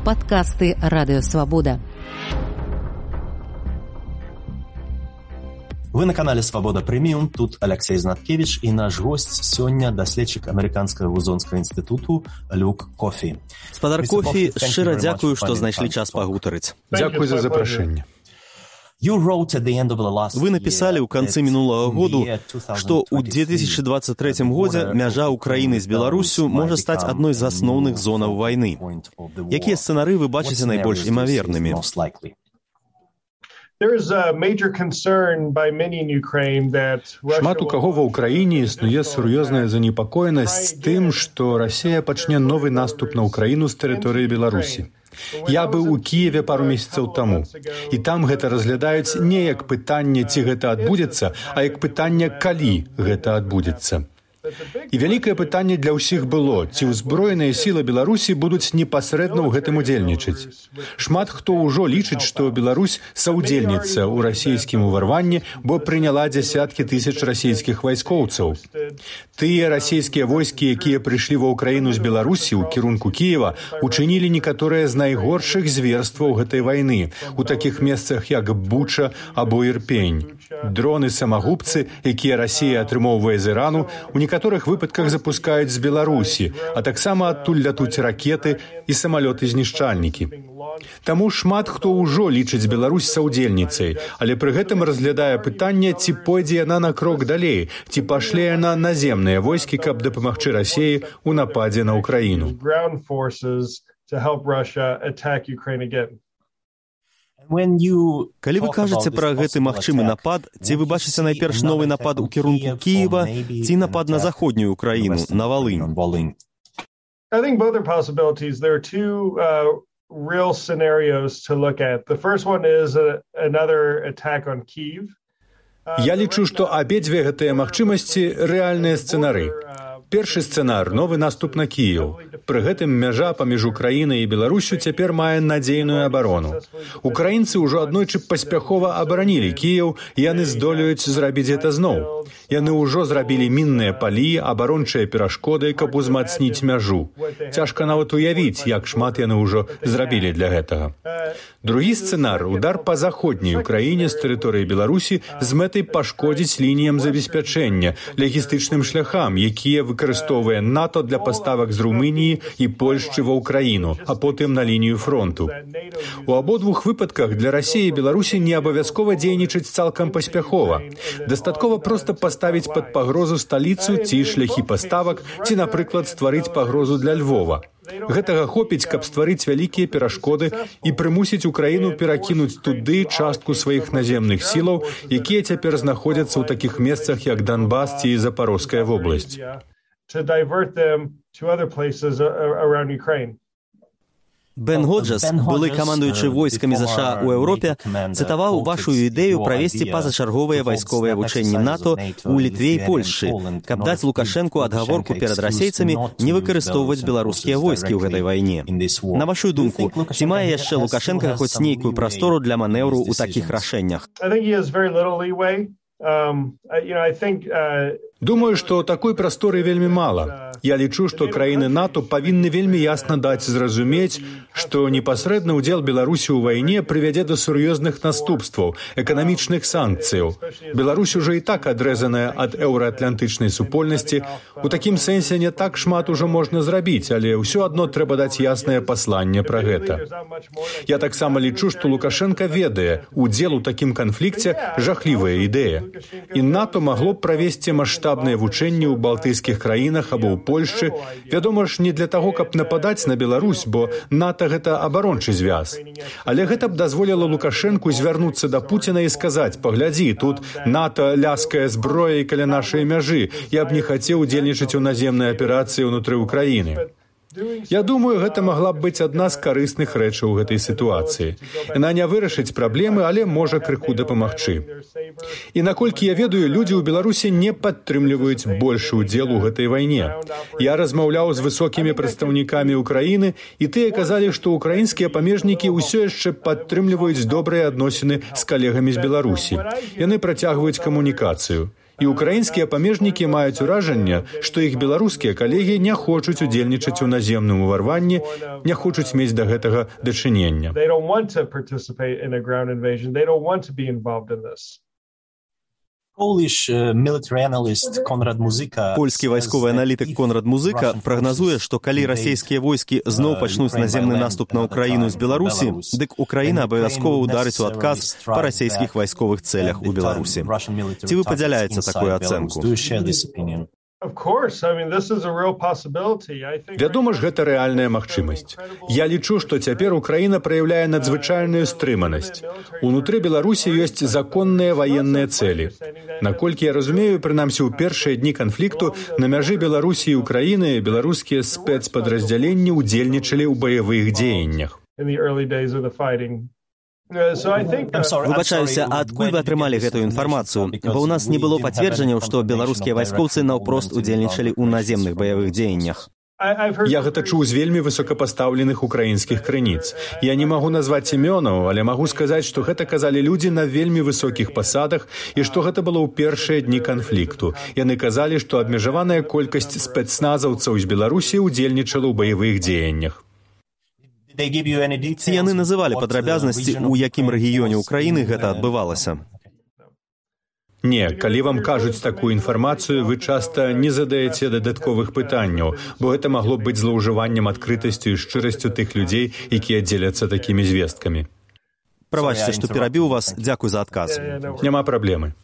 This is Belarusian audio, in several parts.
Падкасты Радыёвабода. Вы на канале «Свобода Премиум». Тут Алексей Знаткевич и наш гость сёння даследчык Амерыканскага вузонскага інстытуту Люк Кофі. Спадар Кофі, шчыра дзякую, што знайшлі час пагутарыць. Дзякуй за запрашэнне. Вы написали ў канцы мінулага году, што ў 2023 годзе мяжа Украіны з Беларусю можа стаць адной з асноўных зонаў вайны. Якія сцэнары вы бачыце найбольш імавернымі? Шмат у каго ва ўкраіне існуе сур'ёзная занепакоенасць тым, што Расія пачне новы наступ на Украіну з тэрыторыі Беларусі. Я быў у Кіеве пару месяцаў таму, і там гэта разглядаюць не як пытанне, ці гэта адбудзецца, а як пытанне, калі гэта адбудзецца. І вялікае пытанне для ўсіх было, ці ўзброеныя сілы Беларусі будуць непасрэдна ў гэтым удзельнічаць. Шмат хто ўжо лічыць, што Беларусь саўдзельніца ў расійскім уварванні, бо прыняла дзясяткі тысяч расійскіх вайскоўцаў. Тыя расійскія войскі, якія прыйшлі ва ўкраіну з Беларусі ў кірунку Кіева, учынілі некаторыя з найгоршых зверстваў гэтай вайны у такіх месцах, як Буча або Ірпень. Дроны-самагубцы, якія Расія атрымоўвае з Ірану, у некаторых выпадках запускаюць з Беларусі, а таксама адтуль лятуць ракеты і самалёты-знішчальнікі. Таму шмат хто ўжо лічыць Беларусь саўдзельніцай, але пры гэтым разглядае пытанне, ці пойдзе яна на крок далей, ці пашле яна наземныя войскі, каб дапамагчы Расіі ў нападзе на Украіну. Калі вы кажаце пра гэты магчымы напад, ці вы бачыце найперш новы напад у кірунку Кіева, ці напад на заходнюю Украіну, на Валынь? Я лічу, што абедзве гэтыя магчымасці рэальныя сцэнары. Першы сцэнар – новы наступ на Кіеў. Пры гэтым мяжа паміж Украінай і Беларусю цяпер мае надзейную абарону. Украінцы ўжо аднойчы паспяхова абаранілі Кіеў, і яны здолеюць зрабіць гэта зноў. Яны ўжо зрабілі мінныя палі, абарончыя перашкоды, каб узмацніць мяжу. Цяжка нават уявіць, як шмат яны ўжо зрабілі для гэтага. Другі сцэнар – удар па заходняй Украіне з тэрыторыі Беларусі з мэтай пашкодзіць лініям забеспячэння, лагістычным шляхам, якія выкарыстоўвае НАТО для паставак з Румыніі і Польшчы ва ўкраіну, а потым на лінію фронту. У абодвух выпадках для Расіі і Беларусі не абавязкова дзейнічаць цалкам паспяхова. Дастаткова проста паставіць пад пагрозу сталіцу ці шляхі паставак, ці, напрыклад, стварыць пагрозу для Львова. Гэтага хопіць, каб стварыць вялікія перашкоды і прымусіць Украіну перакінуць туды частку сваіх наземных сілаў, якія цяпер знаходзяцца ў такіх месцах, як Донбас ці Запорозская вобласць. Бен Годжас, былы камандуючы войскамі ЗША ў Еўропе, цытаваў вашу ідэю правесці пазачарговыя вайсковыя вучэнні НАТО ў Літве і Польшчы, каб даць Лукашэнку адгаворку перад расейцамі не выкарыстоўваць беларускія войскі ў гэтай вайне. На вашу думку, ці мае яшчэ Лукашэнка хоць нейкую прастору для манеўру ў такіх рашэннях? Думаю, што такой прасторы вельмі мала. Я лічу, што краіны НАТО павінны вельмі ясна даць зразумець, што непасрэдны ўдзел Беларусі ў вайне прывядзе да сур'ёзных наступстваў, эканамічных санкцыяў. Беларусь ужо і так адрэзаная ад еўраатлантычнай супольнасці. У такім сэнсе не так шмат ужо можна зрабіць, але ўсё адно трэба даць яснае пасланне пра гэта. Я таксама лічу, што Лукашэнка ведае, удзел у такім канфлікце жахлівая ідэя. І НАТО магло б правесці маштабныя вучэнні ў балтыйскіх краінах або ў Польшчы, вядома ж, не для таго, каб нападаць на Беларусь, бо НАТО гэта абарончы звяз. Але гэта б дазволіла Лукашэнку звярнуцца да Пуціна і сказаць: «Паглядзі, тут НАТО ляскае зброяй каля нашай мяжы, я б не хацеў удзельнічаць у наземнай аперацыі ўнутры Украіны». Я думаю, гэта магла б быць адна з карысных рэчаў у гэтай сітуацыі. Яна не вырашыць праблемы, але можа крыху дапамагчы. І наколькі я ведаю, людзі ў Беларусі не падтрымліваюць большы ўдзел у гэтай вайне. Я размаўляў з высокімі прадстаўнікамі Украіны, і тыя казалі, што украінскія памежнікі ўсё яшчэ падтрымліваюць добрыя адносіны з калегамі з Беларусі. Яны працягваюць камунікацыю. І ўкраінскія памежнікі маюць уражанне, што іх беларускія калегі не хочуць удзельнічаць у наземным уварванні, не хочуць мець да гэтага дачынення. Польскі вайсковы аналітык Конрад Музыка прагназуе, што калі расійскія войскі зноў пачнуць наземны наступ на Украіну з Беларусі, дык Украіна абавязкова ўдарыць у адказ па расійскіх вайсковых цэлях у Беларусі. Ці вы падзяляеце такую ацэнку? Вядома ж, гэта рэальная магчымасць. Я лічу, што цяпер Украіна праяўляе надзвычайную стрыманасць. Унутры Беларусі ёсць законныя ваенныя цэлі. Наколькі я разумею, прынамсі ў першыя дні канфлікту на мяжы Беларусі і Украіны беларускія спецпадраздзяленні ўдзельнічалі ў баявых дзеяннях. Выбачаюся, а адкуль вы атрымалі гэтую інфармацыю? Бо ў нас не было пацверджанняў, што беларускія вайскоўцы наўпрост удзельнічалі ў наземных баявых дзеяннях. Я гэта чуў з вельмі высокапастаўленых украінскіх крыніц. Я не магу назваць імёнаў, але магу сказаць, што гэта казалі людзі на вельмі высокіх пасадах і што гэта было ў першыя дні канфлікту. Яны казалі, што абмежаваная колькасць спецназаўцаў з Беларусі ўдзельнічала ў баявых дзеяннях. Ці яны называлі падрабязнасці, у якім рэгіёне ўкраіны гэта адбывалася? Не, калі вам кажуць такую інфармацыю, вы часта не задаеце дадатковых пытанняў, бо гэта магло быць злоўжываннем адкрытасцю і шчырасцю тых людзей, якія дзеляцца такімі звесткамі. Правачце, што перабіў вас, дзякуй за адказ. Няма праблемы.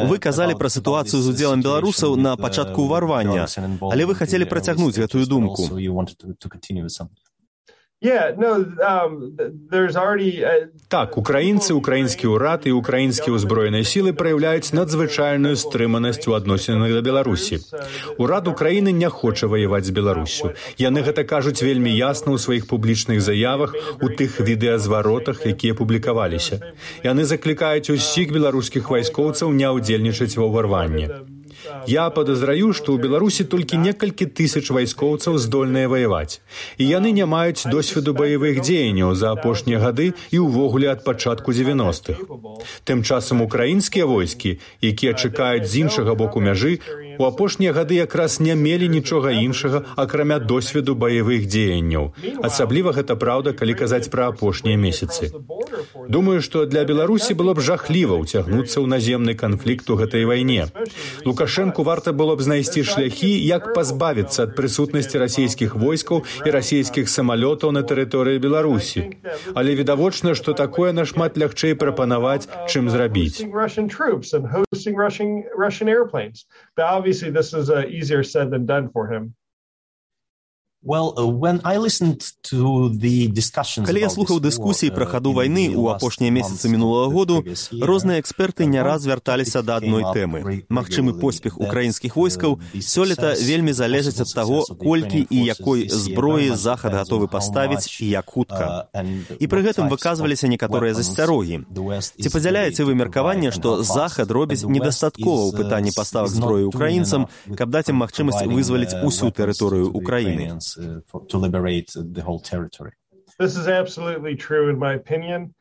Вы казалі пра сітуацыю з удзелам беларусаў на пачатку ўварвання, але вы хацелі працягнуць гэтую думку. Так, украінцы, украінскі ўрад і украінскія ўзброеныя сілы праяўляюць надзвычайную стрыманасць у адносінах да Беларусі. Урад Украіны не хоча ваяваць з Беларусю. Яны гэта кажуць вельмі ясна ў сваіх публічных заявах, у тых відэазваротах, якія публікаваліся. Яны заклікаюць усіх беларускіх вайскоўцаў не ўдзельнічаць ва ўварванні. Я падазраю, што ў Беларусі толькі некалькі тысяч вайскоўцаў здольныя ваяваць. І яны не маюць досведу баявых дзеянняў за апошнія гады і ўвогуле ад пачатку 90-х. Тым часам украінскія войскі, якія чакаюць з іншага боку мяжы, у апошнія гады якраз не мелі нічога іншага, акрамя досведу баявых дзеянняў. Асабліва гэта праўда, калі казаць пра апошнія месяцы. Думаю, што для Беларусі было б жахліва ўцягнуцца ў наземны канфлікт у гэтай вайне. Лукашэнку варта было б знайсці шляхі, як пазбавіцца ад прысутнасці расійскіх войскаў і расійскіх самалётаў на тэрыторыі Беларусі. Але відавочна, што такое нашмат лягчэй прапанаваць, чым зрабіць. Obviously, this is easier said than done for him. Калі я слухаў дыскусіі пра хаду вайны ў апошнія месяцы мінулага году, розныя эксперты не раз вярталіся да адной тэмы. Магчымы поспех украінскіх войскаў сёлета вельмі залежыць ад таго, колькі і якой зброі Захад гатовы паставіць і як хутка. І пры гэтым выказваліся некаторыя засцярогі. Ці падзяляеце вы меркаванне, што Захад робіць недастаткова ў пытанні паставак зброі украінцам, каб даць ім магчымасць вызваліць усю тэрыторыю Украіны? To liberate the whole territory. This is absolutely true in my opinion.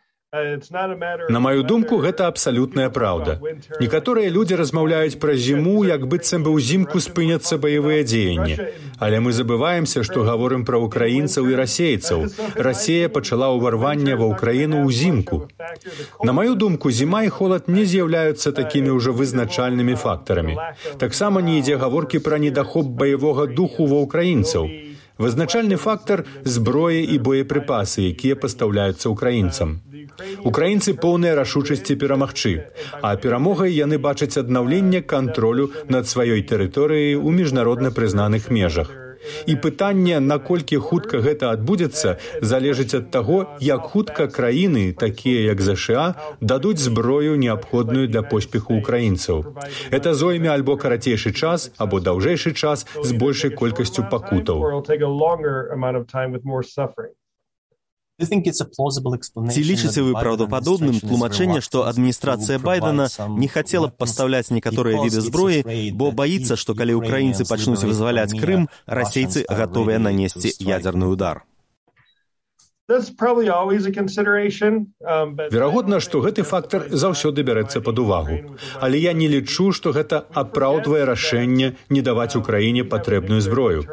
На маю думку, гэта абсалютная праўда. Некаторыя людзі размаўляюць пра зіму, як быццам бы ўзімку спыняцца баявыя дзеянні. Але мы забываемся, што гаворым пра украінцаў і расейцаў. Расія пачала ўварванне ва ўкраіну ўзімку. На маю думку, зіма і холад не з'яўляюцца такімі ўжо вызначальнымі фактарамі. Таксама не ідзе гаворкі пра недахоп баявога духу ва ўкраінцаў. Вызначальны фактар – зброя і боепрыпасы, якія пастаўляюцца ўкраінцам. Украінцы поўныя рашучасці перамагчы, а перамогай яны бачаць аднаўленне кантролю над сваёй тэрыторыяй у міжнародна прызнаных межах. І пытанне, наколькі хутка гэта адбудзецца, залежыць ад таго, як хутка краіны, такія як ЗША, дадуць зброю, неабходную для поспеху украінцаў. Это зойме альбо карацейшы час, або даўжэйшы час з большай колькасцю пакутаў. Ці лічыце вы праўдападобным тлумачэнне, што адміністрацыя Байдена не хацела б пастаўляць некаторыя віды зброі, бо баіцца, што калі ўкраінцы пачнуць вызваляць Крым, расейцы гатовыя нанесці ядзерны ўдар? Верагодна, што гэты фактар заўсёды бярэцца пад увагу. Але я не лічу, што гэта апраўдвае рашэнне не даваць Украіне патрэбную зброю.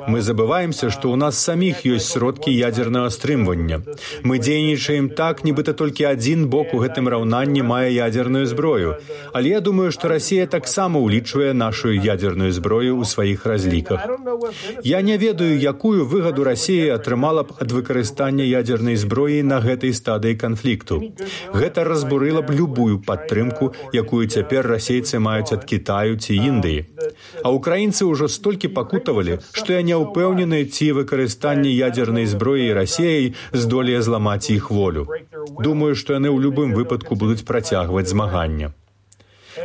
Мы забываемся, што ў нас саміх ёсць сродкі ядзернага стрымвання. Мы дзейнічаем так, нібыта толькі адзін бок у гэтым раўнанні мае ядзерную зброю. Але я думаю, што Расія таксама ўлічвае нашу ядзерную зброю ў сваіх разліках. Я не ведаю, якую выгаду Расія атрымала б ад выкарыстання ядзернай зброі на гэтай стадыі канфлікту. Гэта разбурыла б любую падтрымку, якую цяпер расейцы маюць ад Кітаю ці Індыі. А украінцы ўжо столькі пакутавалі, што я не ўпэўнены, ці выкарыстанне ядзернай зброі Расіяй здолее зламаць іх волю. Думаю, што яны ў любым выпадку будуць працягваць змаганне.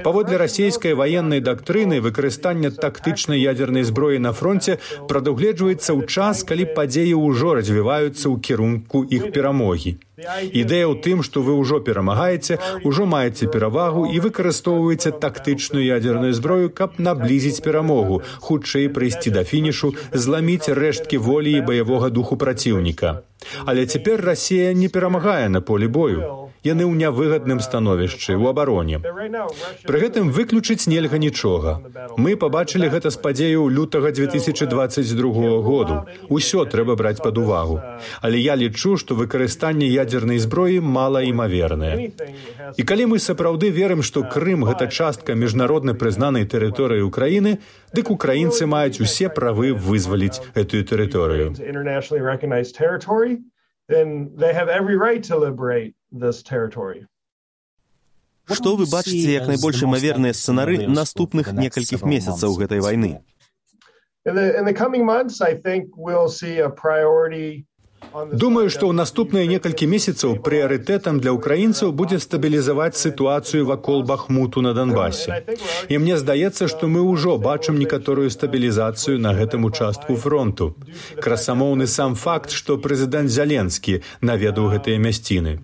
Паводле расійскай ваеннай дактрыны, выкарыстанне тактычнай ядзернай зброі на фронце прадугледжваецца ў час, калі падзеі ўжо развіваюцца ў кірунку іх перамогі. Ідэя ў тым, што вы ўжо перамагаеце, ужо маеце перавагу і выкарыстоўваеце тактычную ядзерную зброю, каб наблізіць перамогу, хутчэй прыйсці да фінішу, зламіць рэшткі волі і баявога духу праціўніка. Але цяпер Расія не перамагае на полі бою. Яны ў нявыгадным становішчы, у абароне. Пры гэтым выключыць нельга нічога. Мы пабачылі гэта з падзеяў лютага 2022 году. Усё трэба браць пад увагу. Але я лічу, што выкарыстанне ядзернай зброі малаімавернае. І калі мы сапраўды верым, што Крым – гэта частка міжнародна прызнанай тэрыторыі Украіны, дык украінцы маюць усе правы вызваліць гэтую тэрыторыю. Што вы бачыце як найбольш імаверныя сцэнары наступных некалькіх месяцаў гэтай вайны? Думаю, што ў наступныя некалькі месяцаў прыярытэтам для украінцаў будзе стабілізаваць сітуацыю вакол Бахмуту на Донбасе. І мне здаецца, што мы ўжо бачым некаторую стабілізацыю на гэтым участку фронту. Красамоўны сам факт, што прэзідэнт Зеленскі наведаў гэтыя мясціны.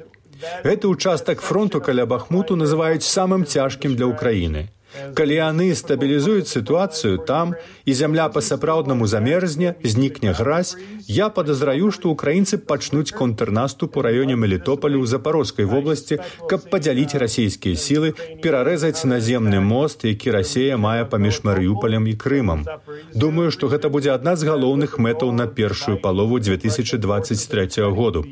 Гэты участак фронту каля Бахмуту называюць самым цяжкім для Украіны. Калі яны стабілізуюць сітуацыю там, і зямля па-сапраўднаму замерзне, знікне гразь, я падазраю, што украінцы пачнуць контрнаступ у раёне Мелітополю ў Запарожскай вобласці, каб падзяліць расійскія сілы, перарэзаць наземны мост, які Расія мае паміж Марыюполем і Крымам. Думаю, што гэта будзе адна з галоўных мэтаў на першую палову 2023 году.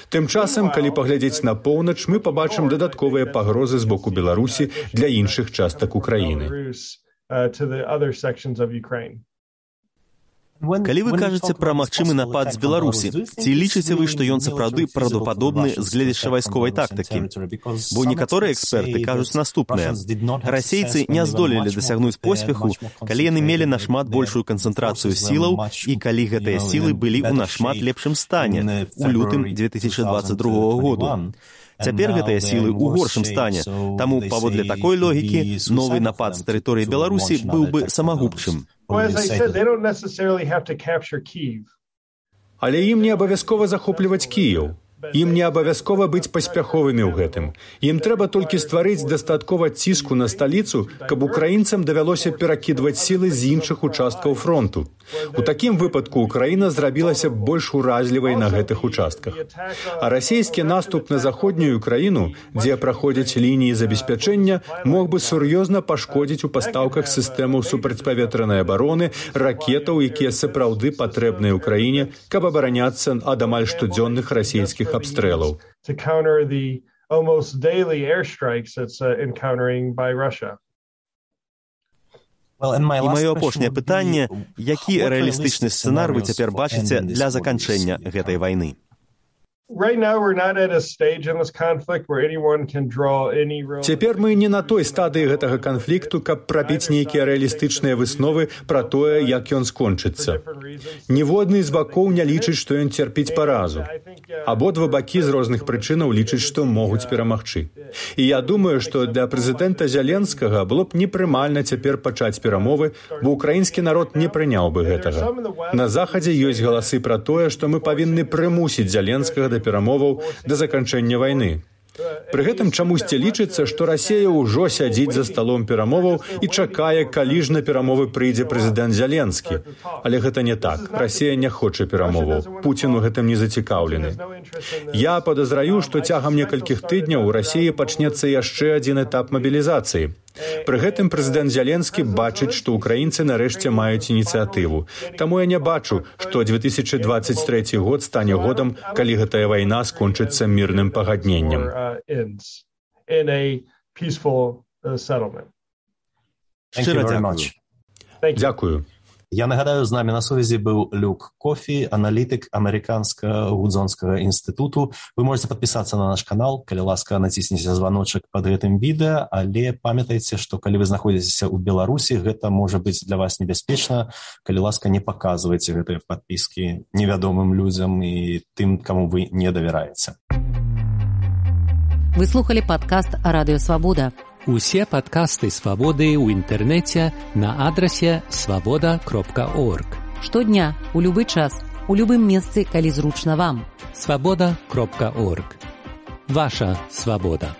Тым часам, калі паглядзець на поўнач, мы пабачым дадатковыя пагрозы з боку Беларусі для іншых частак Украіны. Калі вы кажаце пра магчымы напад з Беларусі, ці лічыце вы, што ён сапраўды правдападобны з гледзяча вайсковай тактыкі? Бо некаторыя эксперты кажуць наступнае. Расейцы не здолелі дасягнуць поспеху, калі яны мелі нашмат большую канцэнтрацыю сілаў і калі гэтыя сілы былі ў нашмат лепшым стане у лютым 2022 году. Цяпер гэтыя сілы ў горшым стане, таму, паводле такой логікі, новы напад з тэрыторыі Беларусі быў бы самагубчым. Але ім не абавязкова захопліваць Кіеў. Ім не абавязкова быць паспяховымі ў гэтым. Ім трэба толькі стварыць дастаткова ціску на сталіцу, каб украінцам давялося перакідваць сілы з іншых участкаў фронту. У такім выпадку Украіна зрабілася больш уразлівай на гэтых участках. А расійскі наступ на заходнюю Украіну, дзе праходзяць лініі забеспячэння, мог бы сур'ёзна пашкодзіць у пастаўках сістэмаў супрацьпаветранай абароны, ракетаў, якія сапраўды патрэбныя Украіне, каб абараняцца ад амаль штодзённых расійскіх абстрэлаў. І маё апошняе пытанне, які рэалістычны сцэнар вы цяпер бачыце для заканчэння гэтай вайны? Цяпер мы не на той стадыі гэтага канфлікту, каб прабіць нейкія рэалістычныя высновы пра тое, як ён скончыцца. Ніводны з бакоў не лічыць, што ён церпіць паразу. Абодва бакі з розных прычынаў лічаць, што могуць перамагчы. І я думаю, што для прэзідэнта Зеленскага было б непрымальна цяпер пачаць перамовы, бо ўкраінскі народ не прыняў бы гэтага. На Захадзе ёсць галасы пра тое, што мы павінны прымусіць Зеленскага да перамоваў да заканчэння вайны. Пры гэтым чамусьці лічыцца, што Расія ўжо сядзіць за сталом перамоваў і чакае, калі ж на перамовы прыйдзе прэзідэнт Зеленскі. Але гэта не так. Расія не хоча перамоваў. Пуцін у гэтым не зацікаўлены. Я падазраю, што цягам некалькіх тыдняў у Расіі пачнецца яшчэ адзін этап мабілізацыі. Пры гэтым прэзідэнт Зеленскі бачыць, што ўкраінцы нарэшце маюць ініцыятыву. Таму я не бачу, што 2023 год стане годам, калі гэтая вайна скончыцца мірным пагадненнем. Шчыра дзякую. Дзякую. Я нагадаю, з намі на сувязі быў Люк Кофі, аналітык Амерыканскага гудзонскага інстытуту. Вы можете падпісацца на наш канал, калі ласка, націсніце званочак пад гэтым відэа, але памятайце, што калі вы знаходзіцеся ў Беларусі, гэта можа быць для вас небяспечна. Калі ласка, не паказвайце гэтыя падпіскі невядомым людзям і тым, каму вы не давяраеце. Вы слухали падкаст «Радыё Свабода». Усе падкасты «Свабоды» ў інтэрнэце на адрасе свабода.орг. Штодня, у любы час, у любым месцы, калі зручна вам. Свабода.орг. Ваша свабода.